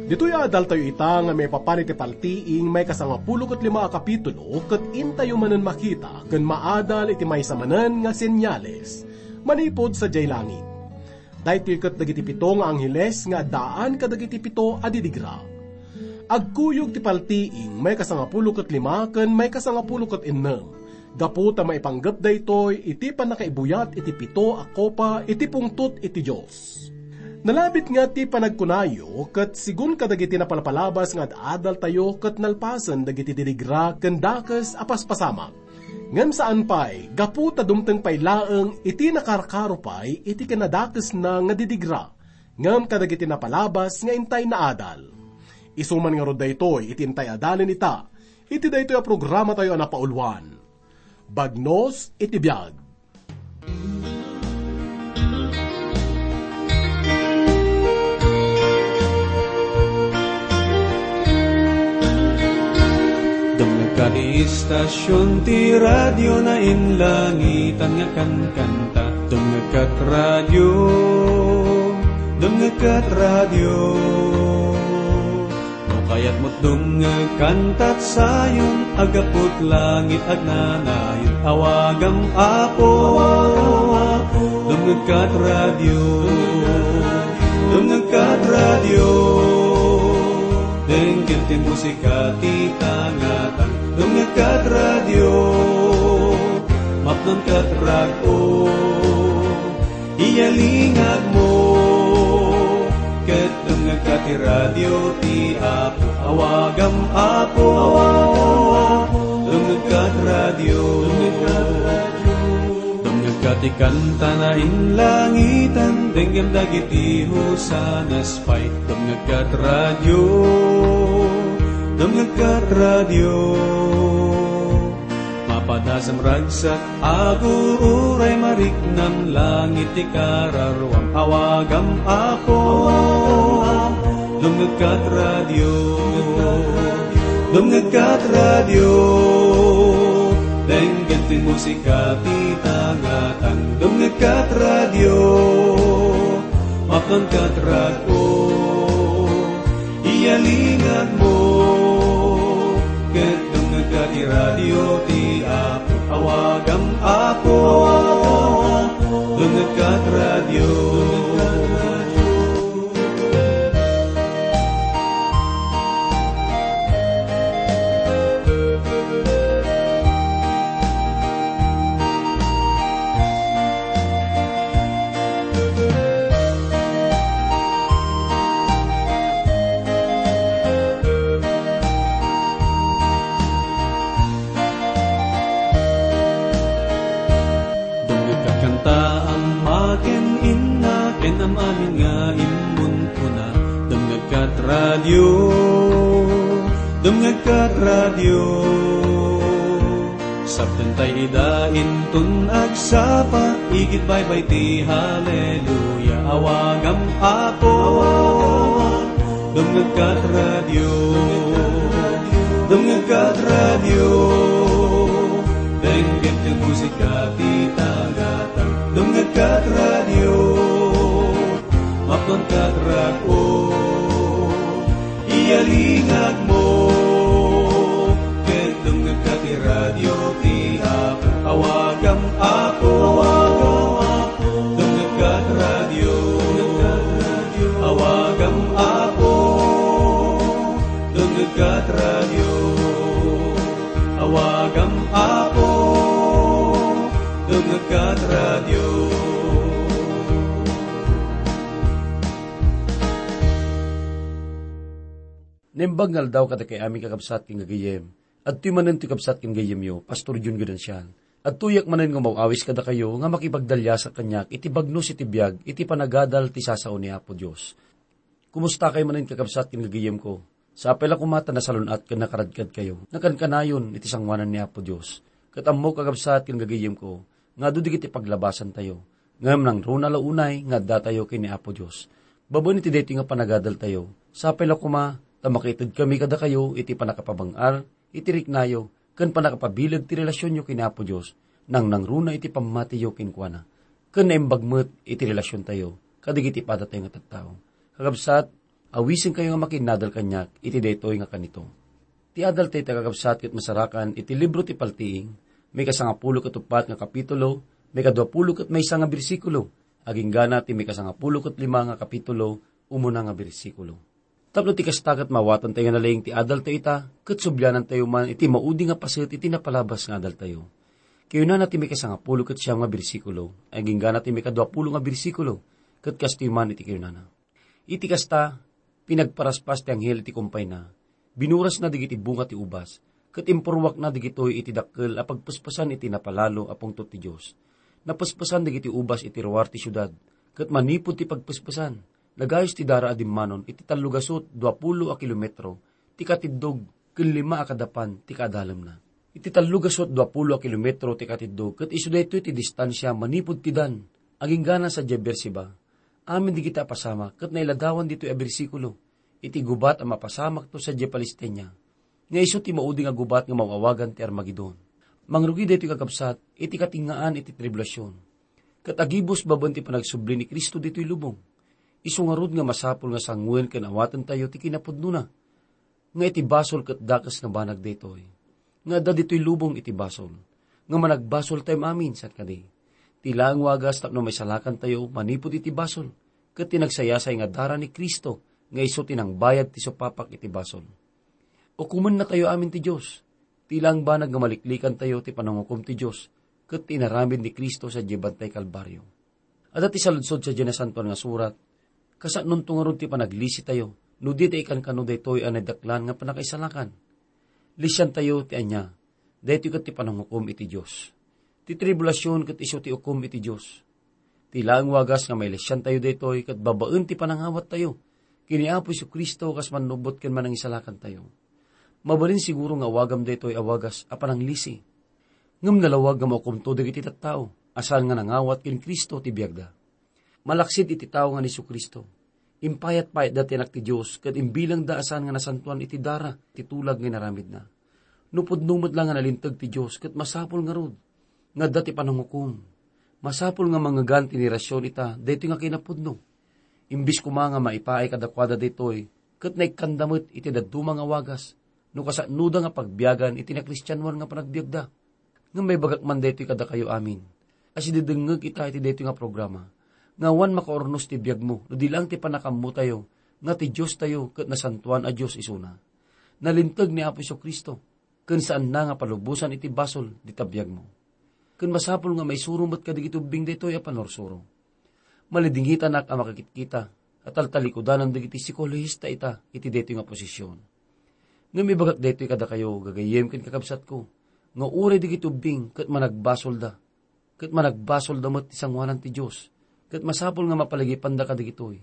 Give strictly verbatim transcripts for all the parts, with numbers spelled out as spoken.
Ditoy adaltayo ita nga maipapan iti paltiing maikasangapulo ket lima a kapitulo, ket intayo manen makita ken maadal iti maysa manen nga senyales manipud sadiay langit. Daytoy ket dagiti pito nga angheles nga addaan kadagiti pito a didigra. Agkuyog ti paltiing maikasangapulo ket lima ken maikasangapulo ket ennem, gapu ta maipanggep daytoy iti pannakaibuyat iti pito a kopa iti pungtot iti Dios. Nalabit nga ti panagkunayo, ket sigun kadagiti napalpalabas nga ad-adaltayo ket nalpasen dagiti didigra ken dakes a paspasamak. Ngem saan pay, gapu ta dumteng pay laeng iti nakarkaro pay iti kinadakesna nga didigra, ngem kadagiti napalabas nga intay naadal. Isu man ngarud daytoy iti intay adalen ita, iti daytoy a programatayo a napauluan. Bagnos iti biag. Dumngegka ti istasyon ti radio na inlangitan nga kankanta. Dumngegkat radio, dumngegkat radio. No kayatmo't dumngeg kantat sayon, agaput langit agnanayon. Awagam Apo, dumngegkat radio, dumngegkat radio. Denggen ti musika ti tangatang, dumngegkat radio, mapnonkat rag-o. Iyalingagmo, ket dumngegka ti radio ti Apo. Awagam Apo, dumngegka ti radio. Dumngegka ti kanta na inlangitan, denggem dagiti hosanas pay. Dumngegka ti radio, dumngegka ti radio. Mapadasem ragsak, agururay mariknam, langit ti kararuam, awagam Apo. Dumngegkat radio, dumngegkat radio, denggen ti musika ti tangatang. Dumngegkat radio, mapnonkat rag-o. Iyalingagmo, ket dumngegka ti radio ti Apo. Awagam Apo, dumngegka ti radio. Dumngegka ti kanta a maken inna ken am-amin nga immunkuna. Dumngegka ti radio, dumngegka ti radio. Saptentay ida inton agsapa, igid baybay ti haleluya. Awagam Apo, dumngegka ti radio, dumngegka ti radio. Denggen ti musika ti tangatang, dumngegka ti radio, mapnonkat rag-o. Iyalingagmo, ket dumngegka ti radio ti Apo. Awagam Apo, dumngegka ti radio. Awagam Apo, dumngegka ti radio. Awagam Apo, dumngegka ti radio. Naimbag nga aldaw kadakay amin, kakabsat ken gagayyem. Adtoy manen ti kabsat ken gayyemyo, Pastor Jun Gudencial. Adtoyak manen nga umaw-awis kadakayo nga makipagdaliasak kaniak iti bagnos iti biag iti panagadal ti sasao ni Apo Dios. Kumustakay manen, kakabsat ken gagayyemko? Sapay la koma ta nasalun-at ken nakaradkadkayo. Nakankanayon iti sangoanan ni Apo Dios. Ket ammok, kakabsat ken gagayyemko, nga adu dagiti paglabasantayo. Ngem nangruna la unay nga addatayo ken ni Apo Dios. Babaen iti daytoy nga panagadaltayo, sapay la koma ta makitedkami kadakayo iti pannakapabang-ar iti riknayo ken pannakapabileg ti relasionyo ken ni Apo Dios, nangnangruna iti pammatiyo kenkuana, ken naimbag met iti relasiontayo kadagiti padatayo nga tattao. Kakabsat, Awisenkayo nga makinnadal kaniak iti daytoy nga kanito. Ti adaltayo, kakabsat, ket masarakan iti libro ti Paltiing, maikasangapulo ket uppat nga kapitulo, maikaduapulo ket maysa nga bersikulo, aginggana ti maikasangapulo ket lima nga kapitulo, umuna nga bersikulo. Tapno ti kasta ket maawatantayo nga nalaing ti adaltayo ita, ket sublianantayo man iti maudi nga paset iti napalabas nga adaltayo. Kayunana ti maikasangapulo ket siam nga bersikulo, aginggana ti maikaduapulo nga bersikulo, ket kastoy man iti kayunana. Iti kasta, pinagparaspas ti anghel iti kumpayna, binurasna dagiti bunga ti ubas, ket impurruakna dagitoy iti dakkel a pagpespesan iti napalalo a pungtot ti Dios. Napespesan dagiti ubas iti ruar ti siudad, ket manipud ti pagpespesan, nagayus ti dara a dimmanon iti tallogasut duapulo a kilometro ti katiddog ken lima a kadapan ti kaadalemna. Iti tallogasut duapulo a kilometro ti katiddog, ket isu daytoy ti distansia manipud ti Dan, aginggana sadiay Beerseba. Amin dagiti a pasamak ket nailadawan ditoy a bersikulo iti gubat a mapasamakto sadiay Palestina, nga isu ti maudi nga gubat nga maaw-awagan ti Armagedon. Mangrugi daytoy, kakabsat, iti katengngaan iti tribulasion. Ket agibus babaen ti panagsubli ni Cristo ditoy lubong. Isu ngarud nga masapul nga sanguen ken awatentayo ti kinapudnona, nga iti basol ket dakes nga banag daytoy. Nga adda ditoy lubong iti basol, nga managbasoltayo amin, saan kadi? Ti laeng wagas tapno maisalakantayo manipud iti basol, ket ti nagsayasay nga dara ni Cristo nga isu ti nangbayad ti supapak iti basol. Ukomennatayo amin ti Dios. Ti laeng banag nga maliklikantayo ti panangukom ti Dios ket ti inaramid ni Cristo sadiay Bantay Kalbario. Adda ti saludsod sadiay Nasantoan nga Surat, kasano ngarud ti panaglisitayo no di ta ikankano daytoy a nadaklan nga pannakaisalakan? Lisiantayo ti ania, daytoy ket ti panangukom iti Dios. Ti tribulasion ket isu ti ukom iti Dios. Ti laeng wagas nga mailisiantayo daytoy ket babaen ti panangawattayo ken ni Apo Jesu-Cristo kas mannubot ken manangisalakantayo. Mabalin siguro nga awagam daytoy a wagas a pananglisi. Ngem nalawag nga maukomto dagiti tattao a saan nga nangawat ken Cristo ti biagda. Malaksid iti tao nga ni Jesu-Cristo, impayat-payatda ti Anak ti Dios ket imbilangda a saan nga nasantoan iti dara ti tulag nga inaramidna. No pudno met la nga nalinteg ti Dios ket masapul ngarud nga adda ti panangukom. Masapul nga mangngegan ti nirasion ita daytoy nga kinapudno. Imbes koma nga maipaay kadakuada daytoy, ket naikkanda met iti dadduma nga wagas, no kasanoda nga pagbiagan iti nakristianoan nga panagbiagda. Ngem maibagak man daytoy kadakayo amin, a sididengngeg ita iti daytoy nga programa, nga awan makaurnos ti biagmo no di laeng ti pannakaammotayo nga ti Diostayo ket nasantoan a Dios isuna. Nalinteg ni Apo Jesu-Cristo, ken saanna nga palubosan iti basol dita biagmo. Ken masapul nga maisuro met kadagiti ubbing daytoy a pannursuro. Malidingitanak a makakitkita a taltalikudanan dagiti psikologista ita iti daytoy nga posisyon. Ngem ibagak daytoy kadakayo, gagayyem ken kakabsatko, nga uray dagiti ubbing ket managbasolda, ket managbasolda met ti sangoanan ti Dios, ket masapul nga mapaligipanda kadagitoy,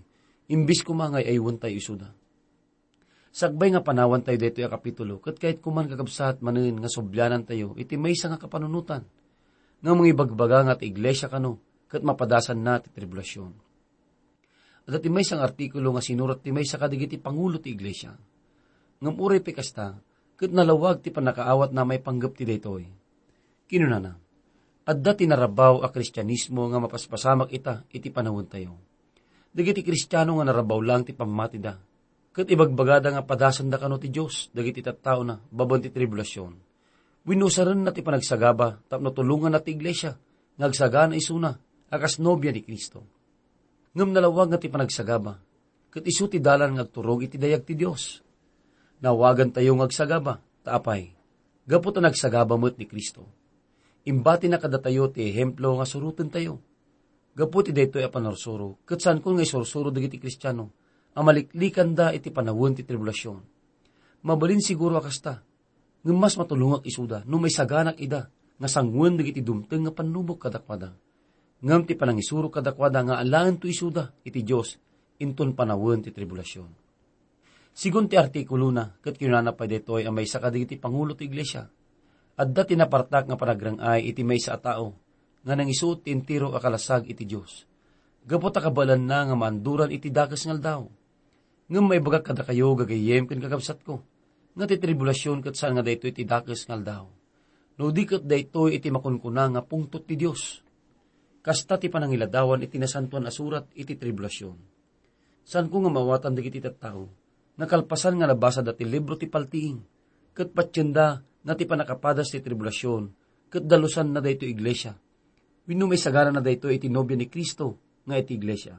imbes koma nga ay-aywentayo isuda. Sakbay nga panawantayo daytoy a kapitulo, ket kayatko man, kakabsat, manen nga sublianantayo iti maysa nga kapanunotan nga mangibagbaga nga ti iglesia kano ket mapadasanna ti tribulasion. Adda ti maysa nga artikulo nga sinurat ti maysa kadagiti pangulo ti iglesia. Ngem uray pay kasta, ket nalawag ti pannakaawatna maipanggep ti daytoy. Kinunana, adda ti narabaw a Kristianismo nga mapaspasamak ita iti panawentayo. Dagiti Kristiano nga narabaw laeng ti pammatida, ket ibagbagada nga padasanda kano ti Dios dagiti tattaona babaen ti tribulasion. Wenno usarenna ti panagsagaba tapno tulonganna ti iglesia nga agsagana isuna a kas nobia ni Cristo. Ngem nalawag nga ti panagsagaba, ket isu ti dalan nga agturong iti dayag ti Dios. Naawagantayo nga agsagaba, ta apay? Gapu ta nagsagaba met ni Cristo. Imbatina kadatayo ti ehemplo nga surotentayo. Gapu ti daytoy a pannursuro, ket saankon nga isursuro dagiti Kristiano a maliklikanda iti panawen ti tribulasion. Mabalin siguro a kasta, ngem mas matulongak isuda no maisaganak ida nga sangoen dagiti dumteng nga pannubok kadakuada. Ngem ti panangisuro kadakuada nga alaento isuda iti Dios inton panawen ti tribulasion. Sigun ti artikulona, ket kinunana pay daytoy a maysa kadagiti pangulo ti iglesia, adda ti napartak nga panagrang-ay iti maysa a tao nga nangisuot ti entero a kalasag iti Dios, gapu ta kabaelanna nga maanduran iti dakes nga aldaw. Ngem maibagak kadakayo, gagayyem ken kakabsatko, nga ti tribulasion ket saan nga daytoy ti dakes nga aldaw, no di ket daytoy iti makunkuna nga pungtot ti Dios. Kasta ti panangiladawan iti Nasantoan a Surat iti tribulasion. Saanko nga maawatan dagiti tattao nga kalpasan nga nabasada ti libro ti paltiing, ket patienda nga ti pannakapadas ti tribulasion ket dalusanna daytoy iglesia, wenno maisaganana daytoy iti nobia ni Cristo nga iti iglesia.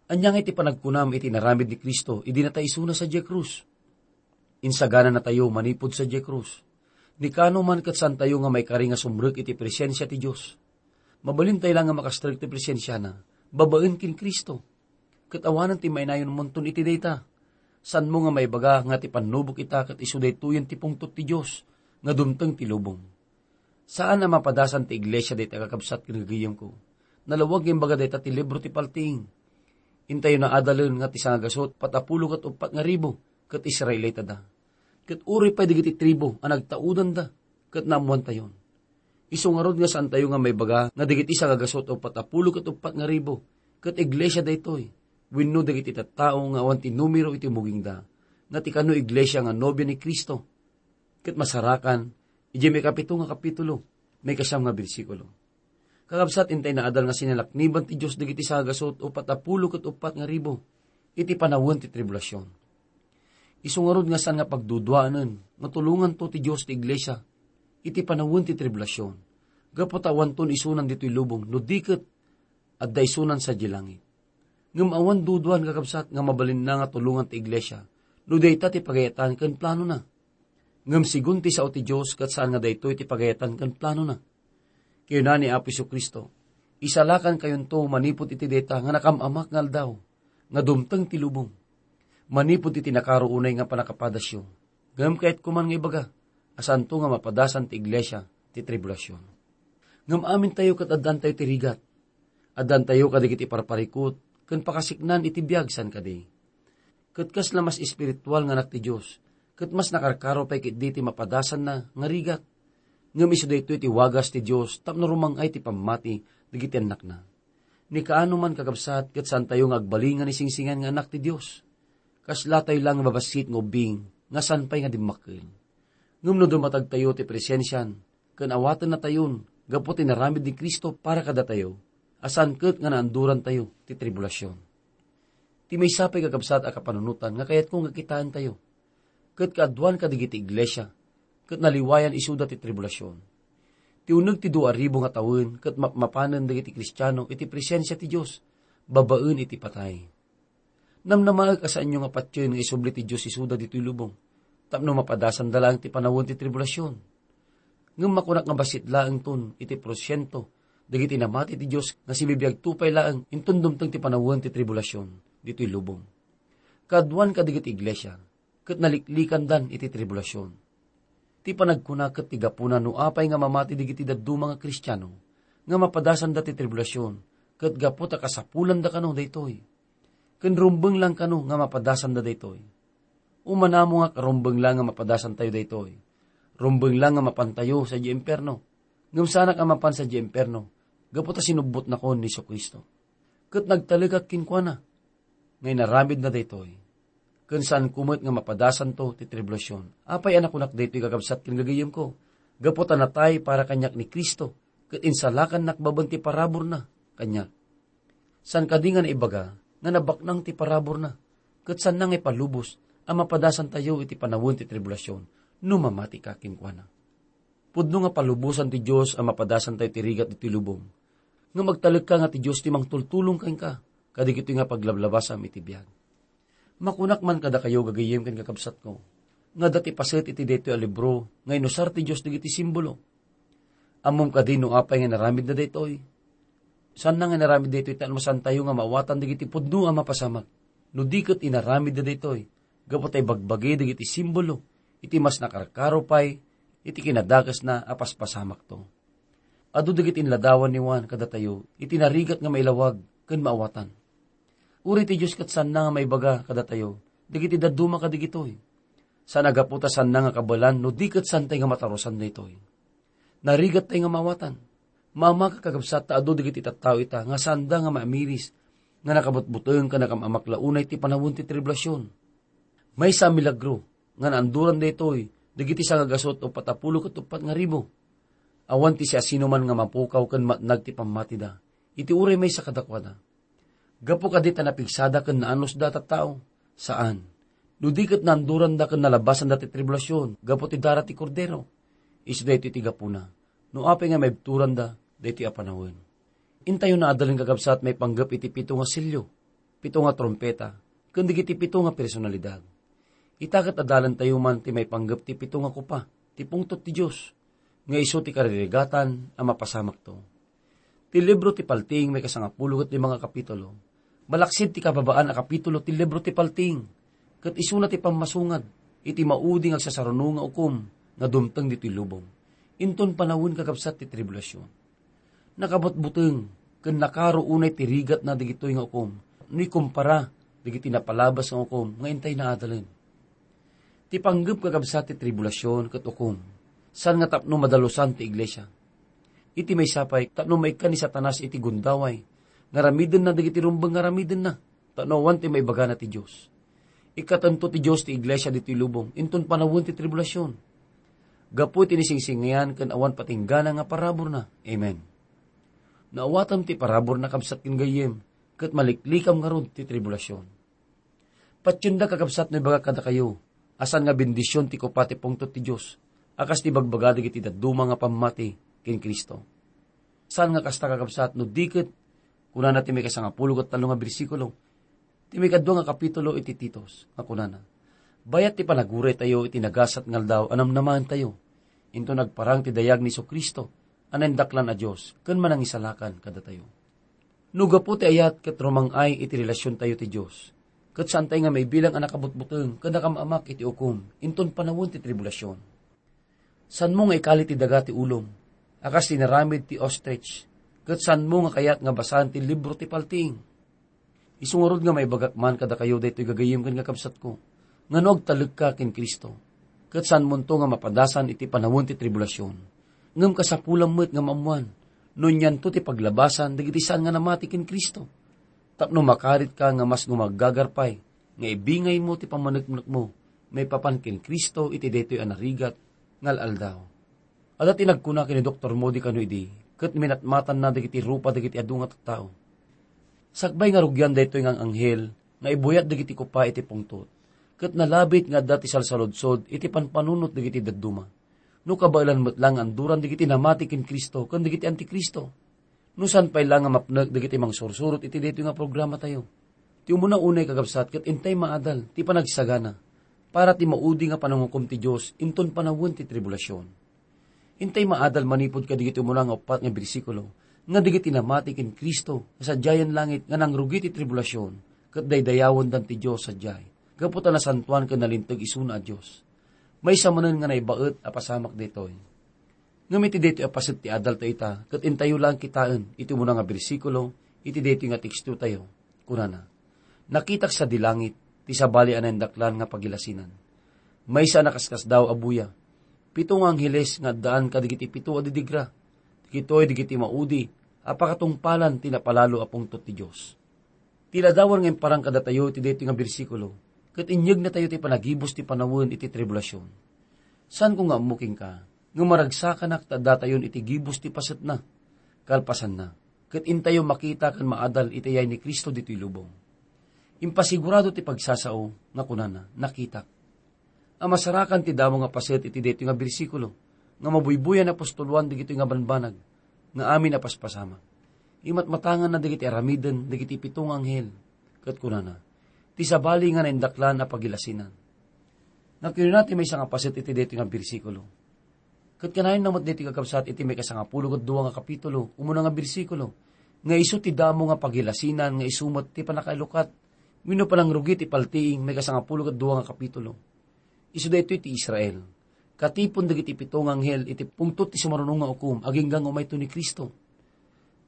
Ania nga iti panagkunam iti inaramid ni Cristo idi nataisuna sadiay krus? Insagananatayo manipud sadiay krus. Ni kano man ket saantayo nga maikari nga sumrek iti presensia ti Dios. Mabalintayo la nga makastrek ti presensiana babaen ken Cristo. Ket awanen ti mainayonmonton iti dayta. Saanmo nga maibaga nga ti pannubok ita ket isu daytoyen ti pungtot ti Dios nga dumteng ti lubong. Saan a mapadasan ti iglesia dayta, kakabsat ken gagayemko. Nalawag nga imbaga dayta ti libro ti paltiing. Intayo naadalen nga ti sangagasut, patapulo ket uppat nga ribu, ket Israelitada. Ket uray pay dagiti tribu a nagtaudanda, ket naammoantayon. Isu ngarud nga saantayo nga maibaga nga dagiti sangagasut o patapulo ket uppat nga ribu, ket iglesia daytoy, wenno dagiti tattao nga awan ti numero iti mugingda, nga ti kano iglesia nga nobia ni Cristo. Ket masarakan, idiay maikapito nga kapitulo, maikasiam nga bersikulo. Kakabsat, intay naadal nga sinalakniban ti Dios dagiti sangagasut o patapulo ket uppat nga ribu iti panawen ti tribulasion. Isu ngarud nga saan nga pagduduaen nga tulonganto ti Dios ti iglesia iti panawen ti tribulasion, gapu ta awanton isunan ditoy lubong no di ket adda isunan sadiay langit. Ngem awan duduan, kakabsat, nga mabalinna nga tulongan ti iglesia no dayta ti pagayatan ken planona. Ngem segun ti sao ti Dios, ket saan nga daytoy ti pagayatan ken planona. Kinuna ni Apo Jesu-Cristo, "Isalakan kayonto manipud iti dayta nga nakam-amak nga aldaw, nga dumteng ti lubong, manipud iti nakaro unay nga pannakapadasyo. Ngem kayatko man nga ibaga a saanto nga mapadasan ti iglesia ti tribulasion." Ngem amintayo ket addantayo ti rigat. Addantayo kadagiti parparikut ken pakasiknan iti biag, saan kadi? Ket kasla mas espiritual nga anak ti Dios, ket mas nakarkaro pay ketdi ti mapadasanna nga rigat. Ngem isu daytoy ti wagas ti Dios tapno rumang-ay ti pammati dagiti annakna. Ni kaano man, kakabsat, ket saantayo nga agbalin nga nisingsingan nga anak ti Dios. Kaslatayo la nga mabassit nga ubbing nga saan pay nga dimmakkel. Ngem no dumatagtayo ti presensian, ken awatennatayon gapu ti inaramid ni Cristo para kadatayo, a saan ket nga naandurantayo ti tribulasion. Ti maysa pay, kakabsat, a kapanunotan nga kayatko nga kitaentayo, ket kaaduan kadagiti iglesia, ket naliwayan isuda ti tribulasion. Ti uneg ti dua ribu nga tawen ket mapmapanen dagiti Kristiano iti presensia ti Dios babaen iti patay. Namnamaek a saanyo nga patien nga isubli ti Dios isuda ditoy lubong, tapno mapadasanda laeng ti panawen ti tribulasion. Ngem makunak nga bassit laengton iti porsiento dagiti namati ti Dios nga sibibiagto pay laeng inton dumteng ti panawen ti tribulasion ditoy lubong. Kaaduan kadagiti iglesia, ket naliklikandan iti tribulasion. Ti panagkuna ket ti gapuna no apay nga mamati dagiti dadduma nga Kristiano nga mapadasanda ti tribulasion, ket gapu ta kasapulanda kano daytoy. Ken rumbeng lang kano nga mapadasanda daytoy. Umanamongak a rumbeng lang nga mapadasantayo daytoy. Rumbeng lang nga mapantayo sadiay impierno. Ngem saanak a mapan sadiay impierno, gapu ta sinubbotnakon ni Jesu-Cristo. Ket nagtalekak kenkuana nga inaramidna daytoy. Ken saanko met nga mapadasanto ti tribulasion. Apay a nakunak daytoy, kakabsat ken gagayemko? Gapu ta natay para kaniak ni Cristo, ket insalakannak babaen ti paraburna kaniak. Saan kadi nga naibaga nga nabaknang ti paraburna, ket saanna nga ipalubos a mapadasantayo iti panawen ti tribulasion no mamatika kenkuana? Pudno nga palubosan ti Dios a mapadasantayo ti rigat ditoy lubong. Ngem agtalekka nga ti Dios ti mangtultulong kenka kadagitoy nga paglablabasam iti biag. Makunak man kadakayo, gagayyem ken kakabsatko, nga adda ti paset iti daytoy a libro nga inusar ti Dios dagiti simbolo. Ammom kadi no apay nga inaramidna daytoy? Saanna nga inaramid daytoy ta masantayo nga maawatan dagiti pudno a mapasamak. No di ket inaramidna daytoy, gapu ta ibagbagi dagiti simbolo iti mas nakarkaro pay iti kinadakesna a paspasamakto. Adu dagiti inladawan ni Juan kadatayo iti narigat nga mailawag ken maawatan. Uray ti Dios ket saanna nga maibaga kadatayo dagiti dadduma kadagitoy. Saan a gapu ta saanna nga kabaelan no di ket saantay nga matarusan daytoy. Narigattay nga maawatan. Maamaka, kakabsat, ta adu dagiti tattao ita nga saanda nga maamiris nga nakabutbuteng ken nakam-amak la unay ti panawen ti tribulasion. Maysa a milagro nga naanduran daytoy dagiti sangagasut o patapulo ket uppat nga ribu. Awan ti siasinoman nga mapukaw ken matnag ti pammatida iti uray maysa kadakuada. Gapu kadi ta napigsada ken naanusda a tattao? Saan. No di ket naanduranda ken nalabasanda ti tribulasion gapu ti dara ti Kordero, isu daytoy ti gapuna no apay nga maibturanda daytoy a panawen. Intayo naadalen, kakabsat, maipanggep iti pito nga sello, pito nga trumpeta, ken dagiti pito nga personalidad. Ita ket adalentayo man ti maipanggep ti pito nga kopa ti pungtot ti Dios, nga isu ti karirigatan a mapasamakto. Ti libro ti Paltiing maikasangapulo ket lima nga kapitulo, malaksid ti kababaan a kapitulo ti libro ti Paltiing, ket isuna ti pammasungad iti maudi nga agsasaruno nga ukom nga dumteng ditoy lubong. Inton panawen, kakabsat, ti tribulasion, nakabutbuteng ken nakaro unay ti rigatna dagitoy nga ukom no ikumpara dagiti napalabas nga ukom nga intay naadalen. Ti panggep, kakabsat, ti tribulasion ket ukom, saan nga tapno madalusan ti iglesia. Iti maysa pay, tapno maikkan ni Satanas iti gundaway nga aramidenna dagiti rumbeng nga aramidenna, tapno awan ti maibagana ti Dios. Ikkatento ti Dios ti iglesia ditoy lubong inton panawen ti tribulasion, gapu iti nisingsingayan ken awan patinggana nga paraburna. Amen. Naawatem ti paraburna, kabsat ken gayyem, ket maliklikam ngarud ti tribulasion. Patienda, kakabsat, no ibagak kadakayo a saan nga bendision ti kopa ti pungtot ti Dios a kas ti ibagbaga dagiti dadduma nga pammati ken Cristo. Saan nga kasta, kakabsat, no di ket, kunana ti maikasangapulo ket tallo nga bersikulo ti maikadua nga kapitulo iti Titos, nga kunana, "Bayat ti panaguraytayo iti nagasat nga aldaw a namnamaentayo, inton agparang ti dayag ni Jesu-Cristo a naindaklan a Dios ken Manangisalakan kadatayo." No gapu ti ayat ket rumang-ay iti relasiontayo ti Dios, ket saantay nga maibilang a nakabutbuteng ken nakaam-amak iti ukom inton panawen ti tribulasion. Saanmo nga ikali ti daga ti ulom a kas ti inaramid ti ostrich, ket saanmo nga kayat nga basaen ti libro ti Paltiing. Isu ngarud nga maibagak man kadakayo daytoy, gagayyem ken kakabsatko, nga no agtalekka ken Cristo, ket saanmonto nga mapadasan iti panawen ti tribulasion, ngem kasapulam met nga maammoan no anianto ti paglabasan dagiti saan nga namati ken Cristo, tapno makaritka nga mas gumaggagar pay nga ibingaymo ti pammaneknekmo maipapan ken Cristo iti daytoy a narigat nga al-aldaw. Adda ti nagkuna ken ni Doktor Moody kano idi, ket minatmatanna dagiti rupa dagiti adu nga tattao. Sakbay nga rugian daytoy nga anghel nga ibuyat dagiti kopa iti pungtot, ket nalabit nga adda ti salsaludsod iti panpanunot dagiti dadduma, no kabaelan met la nga anduran dagiti namati ken Cristo ken dagiti antikristo. No saan pay la nga mapnek dagiti mangsursurot iti daytoy nga programatayo, ti umuna unay, kakabsat, ket intay maadal ti panagsagana para ti maudi nga panangukom ti Dios inton panawen ti tribulasion. Intay maadal manipud kadagiti umuna nga uppat nga bersikulo, nga dagiti namati ken Cristo nga sadiayen langit nga nangrugi ti tribulasion, ket daydayawendan ti Dios sadiay, gapu ta nasantoan ken nalinteg isuna a Dios. Maysa manen nga naibaet a pasamak daytoy. Ngem iti daytoy a paset ti adaltayo ita, ket intayo laeng kitaen iti umuna nga bersikulo iti daytoy nga tekstotayo. Kunana, "Nakitak sadi langit ti sabali a naindaklan nga pagilasinan. Maysa a nakaskasdaaw a buya, pito nga angheles nga addaan kadagiti pito a didigra. Dagitoy dagiti maudi a pakatungpalan ti napalalo a pungtot ti Dios." Ti ladawan nga imparang kadatayo iti daytoy nga bersikulo, ket inyegna tayo ti panagibus ti panawen iti tribulasion. Saanko nga ammo kenka nga maragsakanak ta addatayon iti gibus ti pasetna. Kalpasanna, ket intayo makita ken maadal iti ayay ni Cristo ditoy lubong. Impasigurado ti pagsasao nga kunana, "Nakitak." A masarakan ti damo nga paset iti daytoy nga bersikulo, nga mabuybuyan a apostoloan dagitoy nga banbanag nga amin a paspasamak. Imatmatanganna dagiti aramiden dagiti pito nga anghel, ket kunana, "Ti sabali nga naindaklan a pagilasinan." Nga kinuna ti maysa nga paset iti daytoy nga bersikulo. Ket kanayon na met daytoy, kakabsat, iti maikasangapulo ket dua nga kapitulo, umuna nga bersikulo, nga isu ti damo nga pagilasinan nga isu met ti pannakailukat wenno panangrugi ti paltiing, maikasangapulo ket dua nga kapitulo. Isu daytoy ti Israel, katipon dagiti pito nga anghel iti pungtot ti sumaruno nga ukom agingga nga umayto ni Cristo.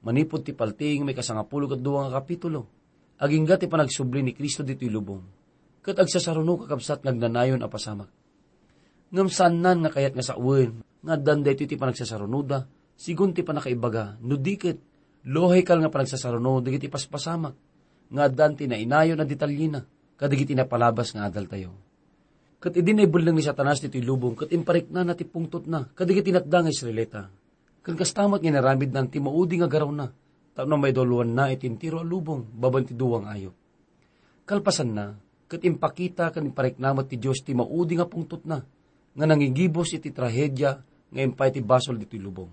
Manipud ti paltiing, maikasangapulo ket dua nga kapitulo, agingga ti panagsubli ni Cristo ditoy lubong, ket agsasaruno, kakabsat, nga agnanayon a pasamak. Ngem saannan nga kayat nga sawen nga addan daytoy ti panagsasarunoda, sigun ti pannakaibaga, no di ket, lohical nga panagsasaruno dagiti paspasamak nga addan ti nainayon a detalyena kadagiti napalabas nga adaltayo. Ket idi naibelleng ni Satanas ditoy lubong ket impariknana ti pungtotna kadagiti natda nga Israelita, ken kasta met nga inaramidnan ti maudi nga garawna, tapno maidulwanna iti entero a lubong babaen ti dua nga ayup. Kalpasanna, ket impakita ken imparikna met ti Dios ti maudi nga pungtotna, nga nangigibus iti trahedia nga impay ti basol ditoy lubong.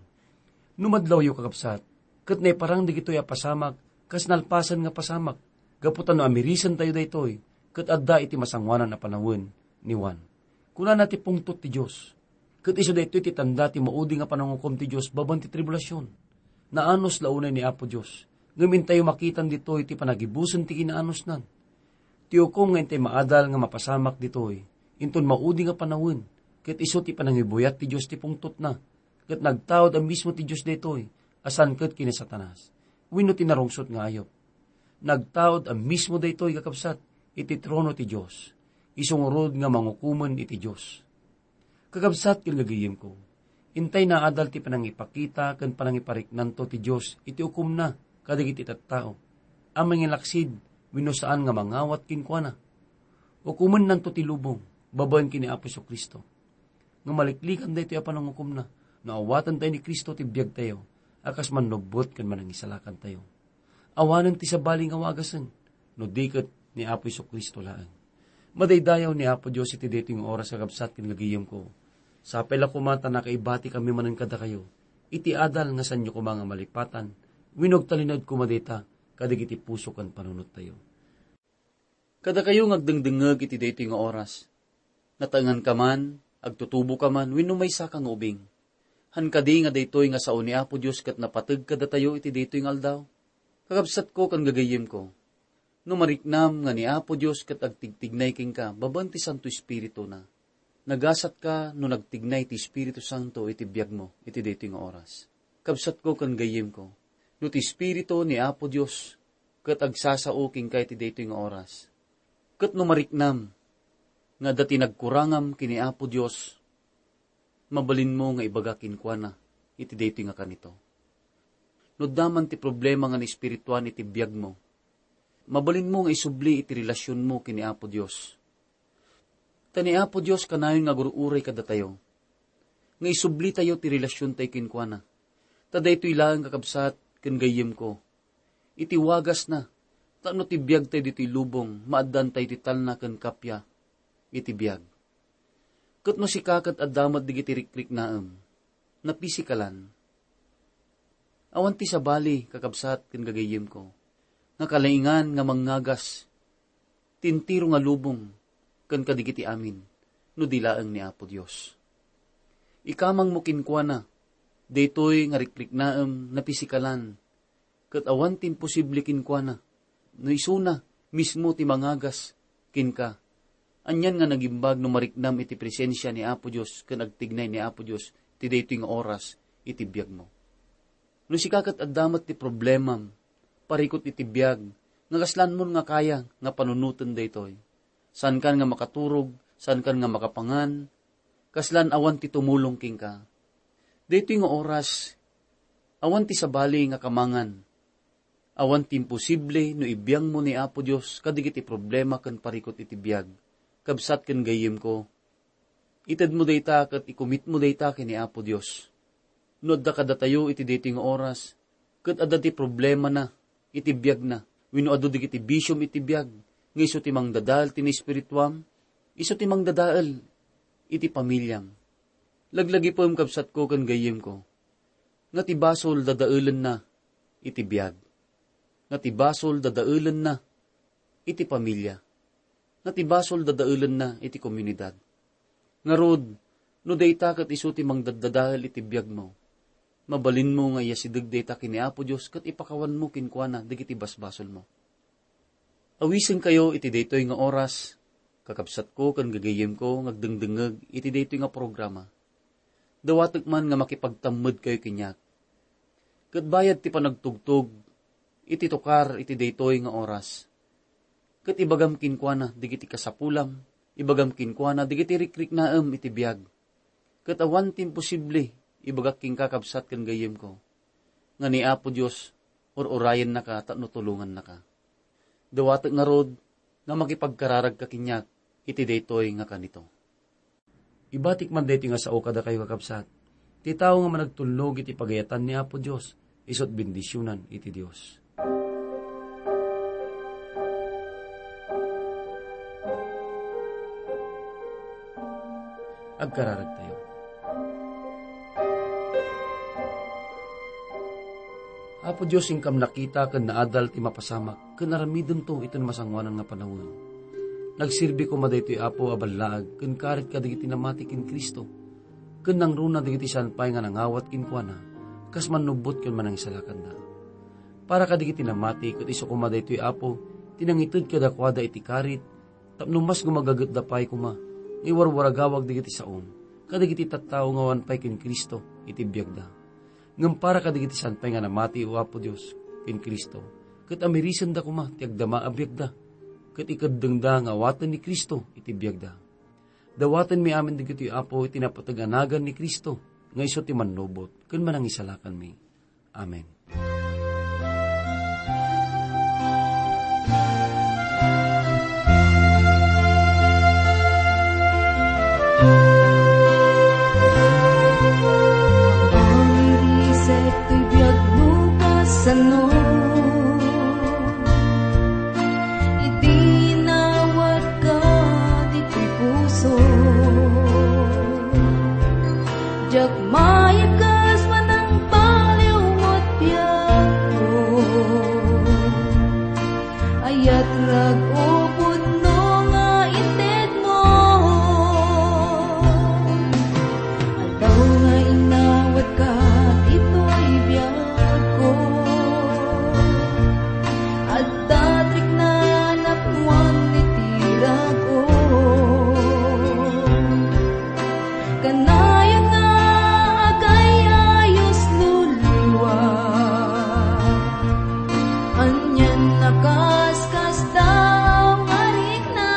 No madlawyo, kakabsat, ket naiparang dagitoy a pasamak kas nalpasen nga pasamak, gapu ta no amirisentayo daytoy, ket adda iti masangoanan a panawen ni Juan. Kunana ti pungtot ti Dios, ket isu daytoy ti tanda ti maudi nga panangukom ti Dios babaen ti tribulasion. Naanus la unay ni Apo Dios, ngem intayo makitan ditoy ti panagibusen ti kinaanusnan. Ti ukom nga intay maadal nga mapasamak ditoy, inton maudi nga panawen, ket isu ti panangibuyat ti Dios ti pungtotna, ket nagtaud a mismo ti Dios daytoy, a saan ket ken ni Satanas, wenno ti narungsot nga ayup. Nagtaud a mismo daytoy, kakabsat, iti trono ti Dios. Isu ngarud nga mangukomen iti Dios. Kakabsat ken gagayyemko, intay naadal ti panangipakita ken panangipariknanto ti Dios iti ukomna kadagiti tattao a mangilaksid wenno saan nga mangawat kenkuana. Ukomennanto ti lubong babaen ken ni Apo Jesu-Cristo. Nga maliklikan daytoy a panangukomna no awatentayo ni Cristo ti biagtayo a kas mannubbot ken manangisalakantayo. Awanen ti sabali nga wagasen, no di ket ni Apo Jesu-Cristo laeng. Madaydayaw ni Apo Dios iti daytoy nga oras, kakabsat ken gagayyemko. Sapay la koma ta nakaibatikami manen kadakayo iti adal nga saanyo koma nga malipatan wenno agtalinaed koma dayta kadagiti puso ken panunottayo. Kadakayo nga agdengdengngeg iti daytoy nga oras, nataenganka man, agtutuboka man, wenno maysaka nga ubing. Han kadi nga daytoy nga sao ni Apo Dios ket napateg kadatayo iti daytoy nga aldaw? Kakabsatko ken gagayyemko, no mariknam nga ni Apo Dios ket agtigtignay kenka babaen ti Santo Espirituna, nagasatka no nagtignay ti Espiritu Santo iti biagmo iti daytoy nga oras. Kabsatko ken gayyemko, no ti Espiritu ni Apo Dios ket agsasao kenka iti daytoy nga oras, ket no mariknam nga adda ti nagkurangam ken ni Apo Dios, mabalinmo nga ibaga kenkuana iti daytoy nga kanito. No adda man ti problema nga naespirituan iti biagmo, mabalinmo nga isubli iti relasionmo ken ni Apo Dios. Ta ni Apo Dios kanayon nga agur-uray kadatayo, nga isublitayo ti relasiontayo kenkuana. Ta daytoy laeng, kakabsat ken gayyemko, iti wagasna, tapno ti biagtayo ditoy lubong, maaddaantayo ti talna ken kappia iti biag. Ket no sika ket adda met dagiti rikriknaem, napisikalan, awan ti sabali, kakabsat ken gagayyemko, nga kalaingan nga mangngagas ti entero nga lubong ken kadagiti amin no di laeng ni Apo Dios. Ikamangmo kenkuana daytoy nga rikriknaem napisikalan, ket awan ti imposible kenkuana no isuna mismo ti mangagas kenka. Anian nga nagimbag no mariknam iti presensia ni Apo Dios ken agtignay ni Apo Dios ti daytoy nga oras iti biagmo. No sika ket adda met ti problemam, parikut iti biag, nga kaslanmon nga kaya nga panunoten daytoy. Saankan nga makaturog, saankan nga makapangan, kaslan awan ti tumulong kenka. Daytoy nga oras, awan ti sabali nga kamangan. Awan ti imposible no ibiangmo ni Apo Dios kadagiti problema ken parikut iti biag. Kabsat ken gayyemko, itedmo dayta ket ikumitmo dayta ken ni Apo Dios. No adda kadatayo iti daytoy nga oras, ket adda ti problemana iti biagna, wenno adu dagiti bisiom iti biag, nga isu ti mangdadael ti naespirituam, isu ti mangdadael iti pamiliam. Laglagipem, kabsatko ken gayyemko, nga ti basol dadaelenna iti biag, nga ti basol dadaelenna iti pamilia, nga ti basol dadaelenna iti komunidad. Ngarud, no dayta ket isu ti mangdaddadael iti biagmo, mabalinmo nga iyasideg dayta ken ni Apo Dios ket ipakawanmo kenkuana dagiti basbasolmo. Awisenkayo iti daytoy nga oras, kakabsatko ken gagayyemko nga agdengdengngeg iti daytoy nga programa. Dawatek man nga makipagtammedkayo kaniak. Ket bayad ti panagtugtog iti tukar iti daytoy nga oras, ket ibagam kenkuana dagiti kasapulam, ibagam kenkuana dagiti rikriknaem iti biag. Ket awan ti imposible, ibagak kenka, kabsat ken gayyemko, nga ni Apo Dios ur-urayennaka tapno tulongannaka. Dawatek ngarud nga makipagkararagka kaniak iti daytoy nga kanito. Ibatik man daytoy nga sao kadakayo, kakabsat. Ti tao nga managtulnog iti pagayatan ni Apo Dios, isut' bendisionan iti Dios. Agkararagtayo. Apo Dios, inkam nakita ken naadal ti mapasamak ken aramidento iti masangoanan nga panawen. Nagserbi koma daytoy, Apo, a ballaag ken karit kadagiti namati ken Cristo, ken nangruna dagiti saan pay nga nangawat kenkuana, kas mannubbot ken manangisalakanda. Para kadagiti namati, ket isu koma daytoy, Apo, ti nangited kadakuada iti karit, tapno mas gumagagetda pay koma nga iwarwaragawag dagiti saom kadagiti tattao nga awan pay ken Cristo iti biagda. Ngem para kadagiti saan pay nga namati, O Apo Dios, ken Cristo, ket amirisenda koma ti agdama a biagda, ket ikeddengda nga awaten ni Cristo iti biagda. Dawatenmi amin dagitoy, Apo, iti napateg a nagan ni Cristo, nga isu ti mannubot ken manangisalakanmi. Amen. Iriset toy biag no kasano, idi nawatka ditoy puso. Diak mayakas manangbaliw met biagko. Ayat rag-o pudno nga intedmo. Aldaw nga inawatka ditoy biagko. Adda triknan a puan iti rag-o. Kanayon nga agay-ayos no liwa. Anian a kaskasdaaw nga rikna.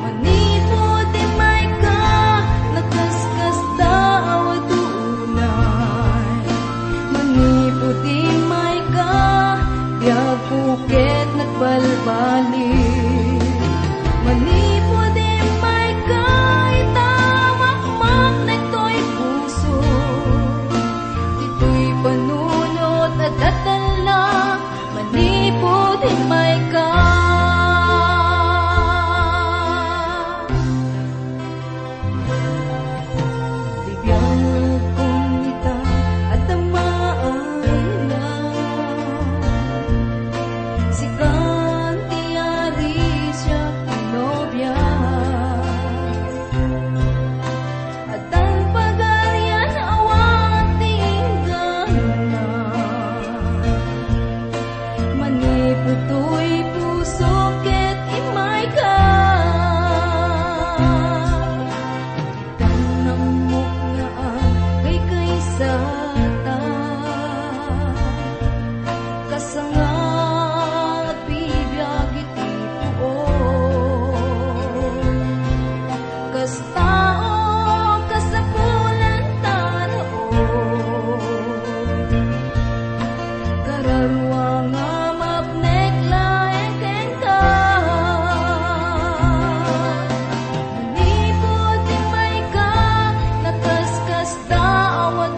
Manipud immayka, nakaskasdaaw a dunay. Manipud immayka, biagko ket nagbalbaliw. Manipud immayka, ita makmaknek toy puso. Ditoy panunot a dadalna, manipud immayka. Ti biagkon ita, adda maayna. Sikan ti ari, siak ti nobia. Addan pagarian, awan ti inggana. Manipud toy puso ket immayka. Ditan ammok nga agkaykaysata. Kasanga bibiag iti puon. Kas tao, kasapulan ta raon. Kararua nga mapnek laeng kenka. Manipud immayka, nakaskasdaaw a